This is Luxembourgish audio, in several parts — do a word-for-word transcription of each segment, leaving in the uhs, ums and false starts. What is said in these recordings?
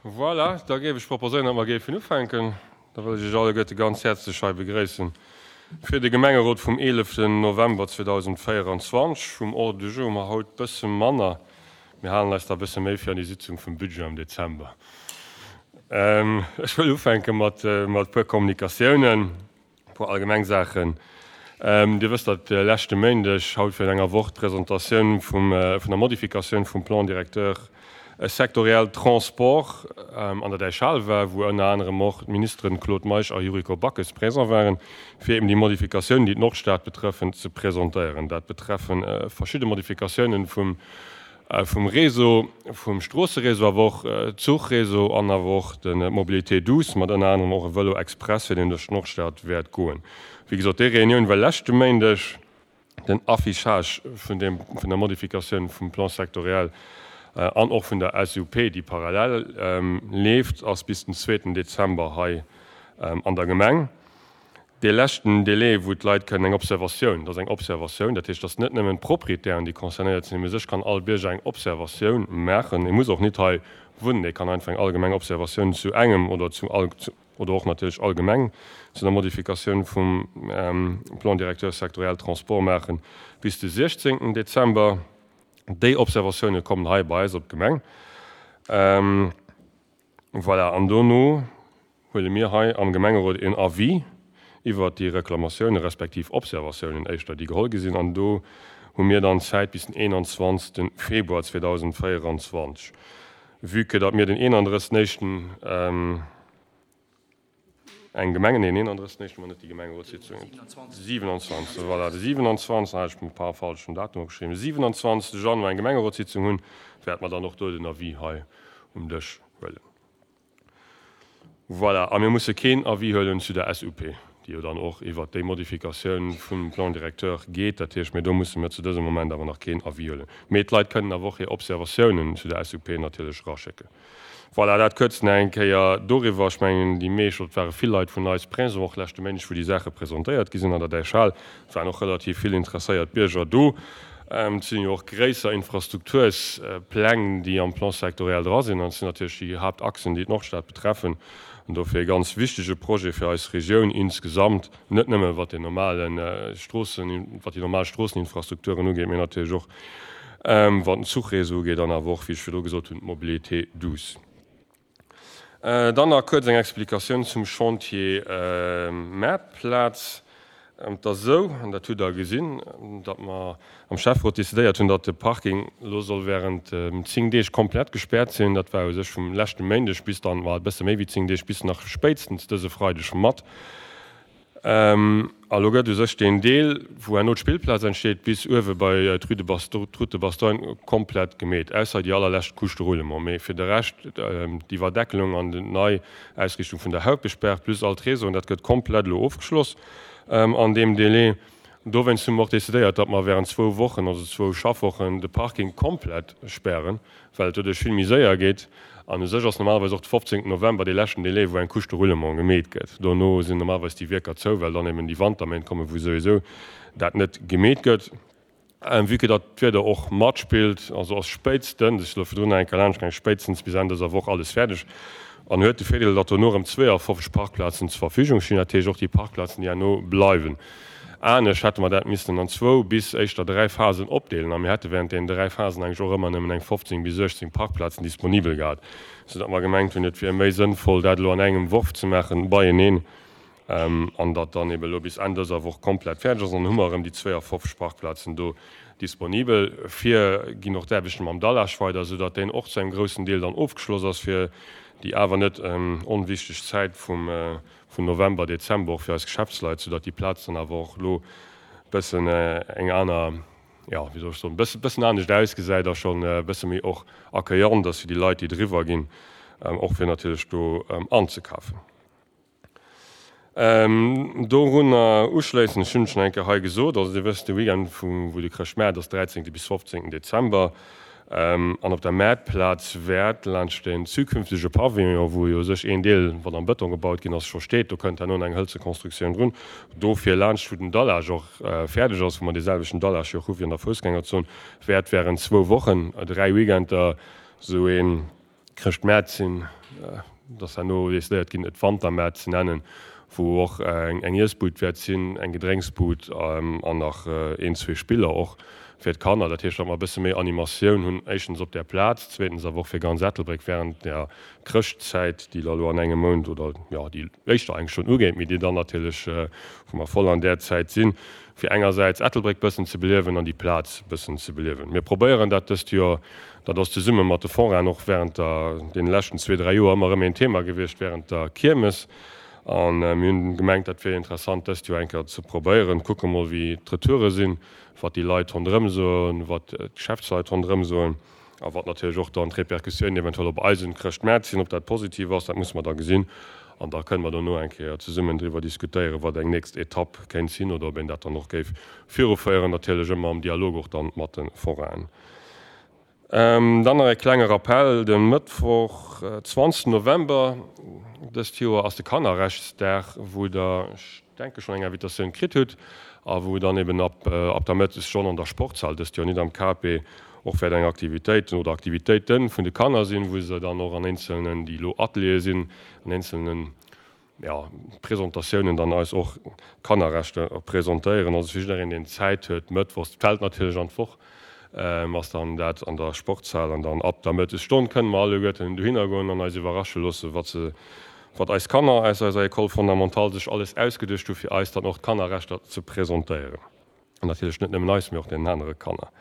Voilà, da géif ech proposéieren, datt mer géifen ufänken. Da wëll ech Iech alleguerte ganz häerzlech hei begréissen fir de Gemengerot vum eeleften November zweedausendvéierenzwanzeg. Vum Ordre du jour hu mer haut bësse manner. Mir halen eis da bësse méi fir an déi Sitzung vum Budget am Dezember. Ech wëll ufänke mat e puer Kommunikatiounen, e puer allgemeng Saachen. Dir wësst, datt leschte Méindeg, haut virun enger Woch, d'Presentatioun vum, vun der Modifikatioun vum Plan directeur sectoriel Transport an der Däichhal war, wou ënner anerem och d'Ministeren Claude Meisch a Yuriko Backes présent waren, fir eben déi Modifikatiounen, déi d'Nordstad betreffen, ze presentéieren. Dat betreffen verschidde Modifikatiounen vum, vum Réseau, vum Stroosseréseau, awer och Zuchréseau an awer och de Mobilité douce, mat ënner anerem och e Vëlo express, fir deen duerch d'Nordstad wäert goen. Wéi gesot, déi Reunioun war leschte Méindeg. Den Affichage vun deem, vun der Modifikatioun vum Plan sectoriel an och vun der S U P, déi parallel leeft, ass bis den zweeten Dezember hei an der Gemeng. Dee leschten Délai, wou d'Leit kënnen eng Observatioun, dat ass eng Observatioun, dat heescht, dat ass net nëmmen d'Proprietären, déi concernéiert sinn, mee u sech kann all Bierger eng Observatioun maachen. E muss och nit hei wunnen, e kann einfach eng allgemeng Observatioun zu engem oder zu all, oder och natierlech allgemeng zu der Modifikatioun vum Plan directeur sectoriel Transport maachen bis de siechzéngten Dezember. Déi Observatioune kommen hei bei eis op d'Gemeng. Voilà, an dono huele mir hei am Gemengerot een Avis iwwert déi Reklamatiounen, respektiv Observatiounen éischter, déi geholl gi sinn. An do hu mir dann Zäit bis den eenanzwanzegste Februar zweedausendvéierenzwanzeg. Vue que datt mir den eenandrëssegsten éischten eng Gemengen, nee, den eenandrëssegsten éischten hu mer net déi Gemengerotssitzung, siewenundzwanzegsten, voilà, de siewenundzwanzegsten, hei hat ech e paar falschen Datum opgeschriwwen, de siewenundzwanzegste Januar eng Gemengerotssitzung hunn, wäerte mer dann och do den Avis hei um Dësch huelen. Voilà, a mir musse keen Avis huelen zu der S U P, déi jo dann och iwwert déi Modifikatioun vum Plan directeur geet. Dat heescht, mir do musse mir zu dësem Moment awer nach keen Avis huelen. Mee d'Leit kënnen awer och hir Observatiounen zu der S U P natierlech eraschécken. Voilà, dat kuerz nach eng Kéier doriwwer. Ech mengen, déi meescht, oder et ware vill Leit vun eis présent, och leschte Méindeg, wou déi Saache presentéiert gi sinn an der Däichhal. Et waren och relativ vill interesséiert Bierger do. Et sinn jo och gréisser Infrastrukturspläng, déi am Plan sectoriel dra sinn. An et sinn natierlech déi Haaptachsen, déi d'Nordstad betreffen. An dofir e ganz wichtege Projet fir eis Regioun insgesamt, net nëmme wat den normale Stroossen, wat déi normal Stroosseninfrastrukturen ugeet, mee natierlech och wat den Zuchréseau ugeet an awer och, wéi ech virdru gesot hunn, d'Mobilité douce. Dann nach kuerz eng Explikatioun zum Chantier Maartplaz. Et ass esou, an dat hutt Der gesinn, datt mer am Schäfferot decidéiert hunn, datt de Parking elo soll während zéng Deeg komplett gespäert sinn. Dat war u sech vum leschte Méindeg bis dann, ma e bësse méi wéi zéng Deeg, bis nach spéitstens dëse Freideg mat. A lo gëtt u sech deen Deel, wou herno d'Spillplaz entsteet, bis uewe bei d'Rue de Bastogne, d'Route de Bastogne komplett gemeet, ausser déi allerlescht Couche de roulement. Mee fir de Rescht, d'Iwwerdeckelung an d'nei Ausriichtung vun der Hauptbesperr plus all d'Réseauen, dat gëtt komplett elo ofgeschloss an deem Délai. Dowéinst hu mer och decidéiert, datt mer während zwou Wochen, also zwou Schaffwochen, de Parking komplett spären, well et doduerch vill méi séier geet. An u sech ass normalerweis och de fofzéngten November dee leschten Délai, wou eng Couche de roulement gemeet gëtt. Dono sinn normalerweis déi Wierker zou, well dann eben déi Wanterméint kommen, wou souwisou dat net gemeet gëtt. Vue que datt d'Wieder och matspillt, also ass spéitstens, ech si elo virdrun nach eng Kéier laanscht gaangen, spéitstens bis Enn dëser Woch alles fäerdeg. An huet de Virdeel, datt dono erëm zweeafofzeg Parkplazen zur Verfügung stinn, dat heescht och déi Parkplazen, déi herno bleiwen. Anescht hätte mer dat missten an zwou bis éischter dräi Phasen opdeelen a mir hätte während deenen dräi Phasen eigentlech och ëmmer nëmmen eng fofzéng bis uechtzéng Parkplazen disponibel gehat, soudatt mer gemengt hunn, et wier méi sënnvoll, dat elo an engem Worf ze maachen, beieneen, an datt dann ebe elo bis Enn dëser Woch komplett fäerdeg ass. An dann hu mer erëm déi zweeafofzeg Parkplazen do disponibel. Vir ginn och d'Aarbechte mam Dallage weider, soudatt deen och zu engem groussen Deel dann ofgeschloss ass fir déi awer net onwichteg Zäit vum vun November, Dezember och fir eis Geschäftsleit, soudatt déi Plaz dann awer och elo bëssen eng aner, jo, wéi soll ech soen, bëssen, bëssen anescht ausgesäit a schonn e bësse méi och accueillant ass fir déi Leit, déi driwwer ginn, och fir natierlech do anzekafen. Dorunner uschléissend, ech hunn et schonn eng Kéier hei gesot, also Dir wësst, de Weekend vu wou de Chrëschtmaart ass, dräizéngte bis fofzéngten Dezember, an op der Maartplaz wäert laanscht den zukünftege Pavillon, wou jo u sech een Deel, wat am Bëtong gebaut ginn ass, scho steet, do kënnt herno eng hëlze Konstruktioun drun, dofir laanscht wou den Dallage och fäerdeg ass, wou mer dee selwechten Dallage jo och hu wéi an der Foussgängerzon, wäert während zwou Wochen, dräi Weekender, esou een Chrëschtmäert sinn, et ass herno decidéiert ginn, et Wantermäert ze nennen, wou och eng eng Iessbud wäert sinn, eng Gedrénksbud an nach een, zwee Spiller och fir d'Kanner. Dat heescht, datt mer e bësse méi Animatioun hunn, éischtens op där Plaz, zweetens awer och fir ganz Ettelbréck während der Chrëschtzäit, déi da elo an engem Mount oder, jo, déi éischter eigentlech schonn ugeet, mee déi dann natierlech, wou mer voll an där Zäit sinn, fir engersäits Ettelbréck bëssen ze beliewen an déi Plaz bëssen ze beliewen. Mir probéieren dat dëst Joer, dat ass zesumme mat de Forainen och während der, deene leschten zwee, dräi Joer ëmmer erëm een Thema gewiescht während der Kiermes. A mir hunn gemengt, dat wier interessant dëst Joer eng Kéier ze probéieren. Kucke mol wéi d'Retoure sinn, wat déi Leit ronderëm soen, wat d'Geschäftsleit ronderëm soen a wat natierlech och dann d'Repercussiounen eventuell op eisen Chrëschtmaart sinn. Ob dat positiv ass, dat musse mer da gesinn. An da kënne mer dono eng Kéier zesummen driwwer diskutéieren, wat eng nächst Etapp kéint sinn oder ob een dat dann och géif viruféieren, natierlech ëmmer am Dialog och dann mat de Forainen. Dann nach e klenge Rappell, De Mëttwoch, zwanzeg November dëst Joer ass de Kannerrechtsdag, wou Der, ech denke schonn eng Invitatioun kritt hutt a wou dann eben ab ab der Mëttesstonn an der Sportshal, dëst Joer net am K P, och wäert eng Aktivitéit oder Aktivitéite vun de Kanner sinn, wou se dann och an eenzelnen, déi elo Ateliere sinn, an eenzelnen, ja, Presentatiounen dann eis och Kannerrechter presentéieren. Also fir jiddereen, deen Zäit huet, mëttwochs, fält natierlech an d'Woch, ass dann dat an der Sportshal an dann ab der Mëttesstonn kënne mer alleguerten dohinner goen an eis iwwerrasche loosse, wat se, wat eis Kanner aus eiser École fondamentale sech alles ausgeduecht hu fir eis dann och d'Kannerrechter ze presentéieren. An natierlech net nëmmen eis, mee och deenen anere Kanner.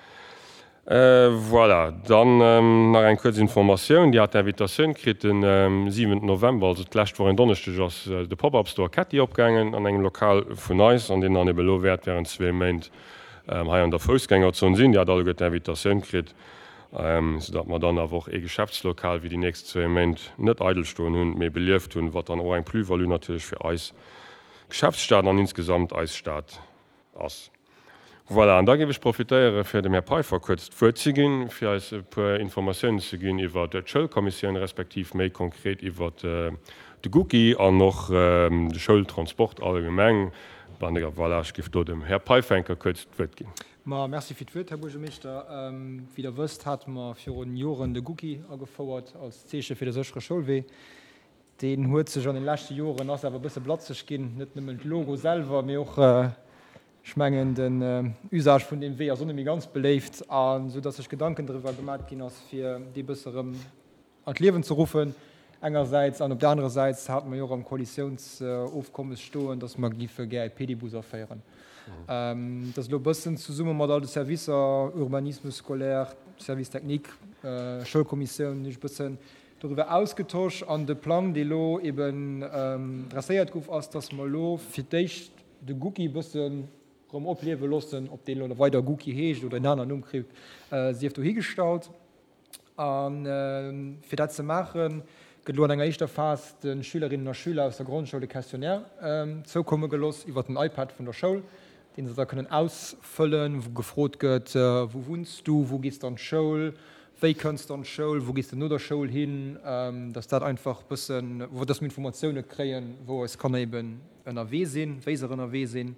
Voilà, dann nach eng kuerz Informatioun, Dir hat d'Invitatioun kritt, den siwenten November, also d'lescht Woch en Donneschdeg, ass de Pop-Up Store Ketty opgaangen an engem Lokal vun eis, an deen dann ebe elo wäert während zwee Méint hei an der Foussgängerzon sinn. Dir hat alleguer d'Invitatioun kritt, soudatt mer dann awer och ee Geschäftslokal wéi déi nächst zwee Méint net eidel stoen hunn, mee belieft hunn, wat dann och eng Plus-value natierlech fir eis Geschäftsstad an insgesamt eis Stad ass. Voilà, an da géif ech profitéiere fir dem Här Peiffer kuerz d'Wuert ze ginn, fir eis e puer Informatiounen ze ginn iwwert d'Schoulkommissioun, respektiv méi konkret iwwert de Gucci an och de Schoultransport allgemeng. Voilà, ech géif do dem Här Peiffer eng Kéier kuerz d'Wuert ginn. Ma merci fir d'Wuert, Här Buergermeeschter. Wéi Der wësst, hate mer virun Joren de Gucci agefouert als Zeeche fir de séchere Schoulwee. Deen huet sech an den leschte Joren, ass awer e bësse blatzeg ginn, net nëmmen d'Logo selwer, mee och, ech mengen, den Usage vun deem Wee ass och net méi ganz beléift, a sou datt sech Gedanken driwwer gemat ginn ass, fir dee bësse erëm an d'Liewen ze ruffen engersäits, an op der anerer Säit hate mer jo och am Koalitiounsofkommes stoen, datt mer géife gär e Pedibus aféieren. Dat ass elo e bëssen zesumme mat all de Servicer, Urbanisme scolaire, Service technique, Schoulkommissioun, hunn ech e bëssen doriwwer ausgetosch. An de Plang, dee elo eben dresséiert gouf, ass, datt mer elo fir d'éischt de Gucci e bëssen erëm opliewe loossen. Ob deen elo weider Gucci heescht oder en aneren Numm kritt, sief dohigestallt. A fir dat ze maachen, gëtt elo an enger éischter Phas de Schülerinnen a Schüler aus der Grondschoul e Questionnaire zoukomme geloss iwwer den iPad vun der Schoul, dee se da kënnen ausfëllen, wou gefrot gëtt, Wou wunns du? Wou gees de an d'Schoul? Wéi kënns de an d'Schoul? Wou gees de no der Schoul hin? Dass dat einfach bëssen, dass mir Informatioune kréien, wou eis Kanner eben ënnerwee sinn, wéi se ënnerwee sinn.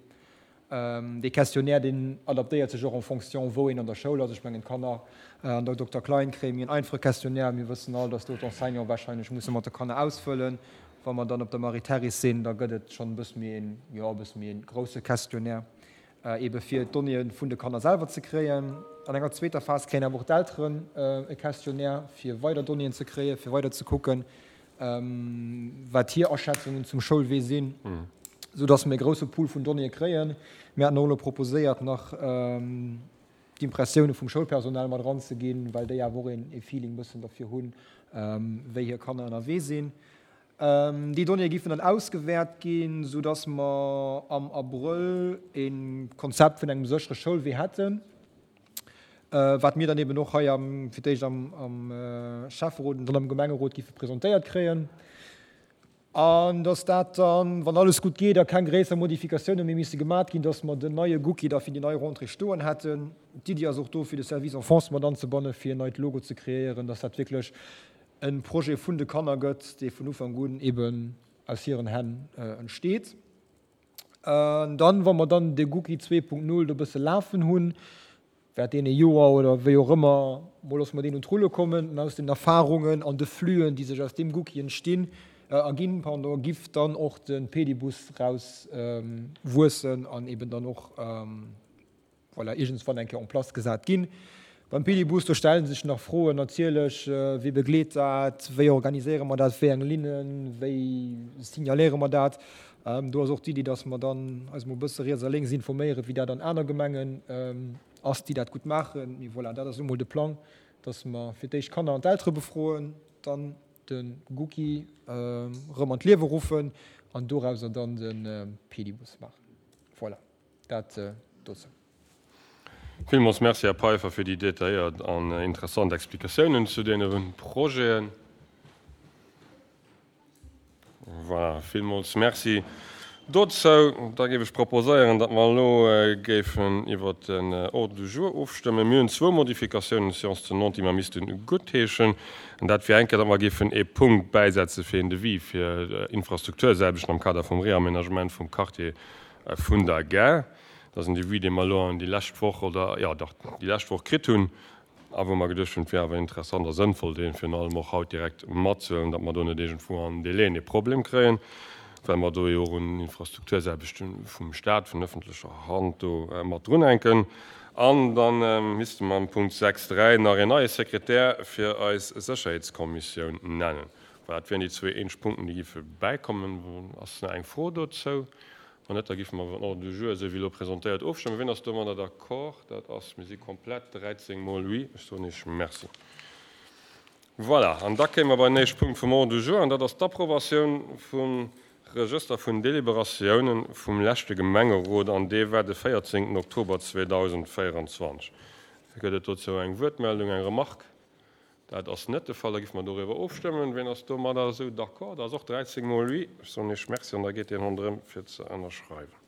Dee Questionnaire, deen adaptéiert sech och en fonction, wou een an der Schoul ass. Ech mengen, d'Kanner an der Dokter Klein kréie mir en einfache Questionnaire. Mir wëssen all, dass do d'Enseignante wahrscheinlech musse mat de Kanner ausfëllen. Wa mer dann op der Marie-Therese sinn, da gëtt et schonn e bësse méi een, jo, e bësse méi e grousse Questionnaire, eebe fir d'Donnéeë vun de Kanner selwer ze kréien. An enger zweeter Phas kréien awer och d'Elteren e Questionnaire, fir weider Donnéeën ze kréien, fir weider ze kucken, wat hir Aschätzungen zum Schoulwee sinn, sou dass mir e grousse Pool vun Donnéeë kréien. Mir haten och elo proposéiert, nach d'Impressioune vum Schoulpersonal mat eranzeginn, well déi awer och ee Feeling bëssen derfir hunn, wéi hir Kanner ënnerwee sinn. Déi Donnéeë géifen dann ausgewäert ginn, sou dass mer am Abrëll e Konzept vun engem séchere Schoulwee hätten, wat mir dann eben och hei am, fir d'éischt am, am Schäfferot an dann am Gemengerot géife presentéiert kréien. An dass dat dann, wann alles gutt geet a keng gréisser Modifikatioune méi misse gemat ginn, dass mer den neie Gucci da fir déi nei Rentrée stoen hätten. D'Iddi ass och do, fir de Service Enfance mat anzebanne fir en neit Logo ze kreéieren, dass dat wierklech e Projet vun de Kanner gëtt, dee vun Ufank un eben aus hiren Hänn entsteet. An dann, wa mer dann de Gucci zwee Punkt null do e bësse lafen hunn, Während deene Joer oder wéi och ëmmer, mol loosse mer deen un d'Rulle kommen an aus den Erfahrungen an de Flüen, déi sech aus deem Gucki entstinn, erginn, pardon, giff dann och de Pedibus raus wuessen an eben dann och, voilà, iergendswann eng Kéier en place gesat ginn. Beim Pedibus, do stelle sech nach Froen natierlech, Wie begleet dat, wéi organiséiere mer dat, wéi eng Linnen, wéi signaléiere mer dat? Do ass och d'Iddi, dass mer dann eis mol e bësse riets a lénks informéieren, wéi dat an aner Gemengen ass, déi dat gutt maachen. Mee voilà, dat ass elo mol de Plang, dass mer fir d'éischt d'Kanner an d'Eltere befroen, dann de Gucki erëm an d'Liewe ruffen an dorauser dann de Pedibus maachen. Voilà, dat dozou. Villmools Merci, Här Peiffer, fir déi detailléiert an interessant Explikatiounen zu deene Projeten. Voilà, villmools Merci dozou. Da géif ech proposéieren, datt mer elo géifen iwwert den Ordre du jour ofstëmmen. Mir hunn zwou Modifikatiounen, Séance tenante, déi mer misste guttheeschen. An dat wier eng Kéier, datt mer géifen ee Punkt bäisetze fir een Devis fir Infrastruktursaarbechten am Kader vum Réaménagement vum Quartier vun der Gare. Dat ass en Devis, dee mer elo an déi lescht Woch, oder jo dach, déi lescht Woch kritt hunn a wou mer geduecht hunn, et wier awer interessant a sënnvoll, dee virun allem och haut direkt matzehuelen, datt mer do net iergendwou an Délaiën e Problem kréien, well mer do jo och un Infrastruktursaarbechte vum Stat, vun öffentlecher Hand do mat drunhänken. An da misste mer am Punkt sechs dräi nach een neie Sekretär fir eis Sécherheetskommissioun nennen. Voilà, dat wieren déi zwee eenzeg Punkten, déi géife bäikommen. Ass nach eng Fro dozou? Wann net, da géife mer iwwer den Ordre du jour, esou wéi elo presentéiert, ofstëmmen. Wien ass domadder d'accord? Dat ass, mir si komplett, dräizéng mol oui. Ech soen Iech Merci. Voilà, an da kéime mer bei den éischte Punkt vum Ordre du jour, an dat ass d'Approbatioun vum Regëster vun Deliberatiounen vum leschte Gemengerot, an dee war de véierzéngten Oktober zweedausendvéieranzwanzeg. Gëtt et dozou eng Wuertmeldung, eng Remarque? Dat ass net de Fall. Da géife mer doriwwer ofstëmmen. Wien ass domadder esou d'accord? Dat ass och dräizéng mol oui. Ech soen Iech Merci an da geet deen ronderëm fir ze ënnerschreiwen.